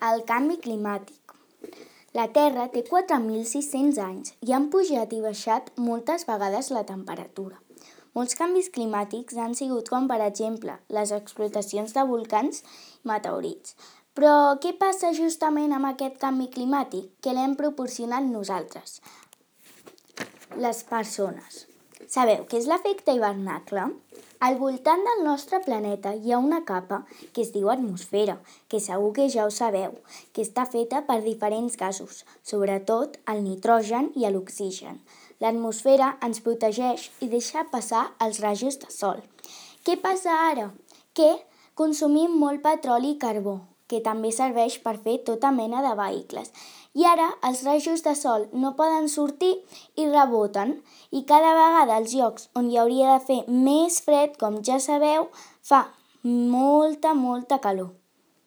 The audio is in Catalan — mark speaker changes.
Speaker 1: El canvi climàtic. La Terra té 4.600 anys i han pujat i baixat moltes vegades la temperatura. Molts canvis climàtics han sigut com, per exemple, les explotacions de volcans i meteorits. Però què passa justament amb aquest canvi climàtic? Que l'hem proporcionat nosaltres, les persones. Sabeu què és l'efecte hivernacle? Al voltant del nostre planeta hi ha una capa que es diu atmosfera, que segur que ja ho sabeu, que està feta per diferents gasos, sobretot el nitrogen i l'oxigen. L'atmosfera ens protegeix i deixa passar els rajos de sol. Què passa ara? Que consumim molt petroli i carbó, que també serveix per fer tota mena de vehicles. I ara els rajos de sol no poden sortir i reboten, i cada vegada als llocs on hi hauria de fer més fred, com ja sabeu, fa molta calor.